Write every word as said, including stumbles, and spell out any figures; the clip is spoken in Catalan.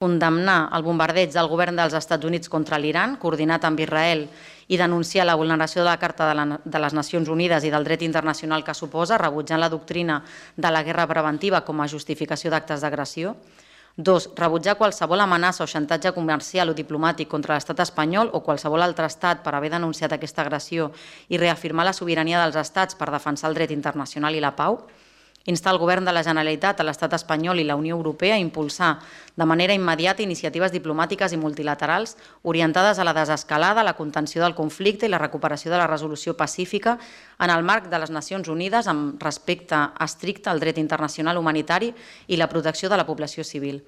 condemnar el bombardeig del govern dels Estats Units contra l'Iran, coordinat amb Israel, i denunciar la vulneració de la Carta de les Nacions Unides i del dret internacional que suposa, rebutjant la doctrina de la guerra preventiva com a justificació d'actes d'agressió. Dos, rebutjar qualsevol amenaça o xantatge comercial o diplomàtic contra l'estat espanyol o qualsevol altre estat per haver denunciat aquesta agressió i reafirmar la sobirania dels estats per defensar el dret internacional i la pau. Instar el govern de la Generalitat, a l'estat espanyol i la Unió Europea a impulsar de manera immediata iniciatives diplomàtiques i multilaterals orientades a la desescalada, la contenció del conflicte i la recuperació de la resolució pacífica en el marc de les Nacions Unides amb respecte estricte al dret internacional humanitari i la protecció de la població civil.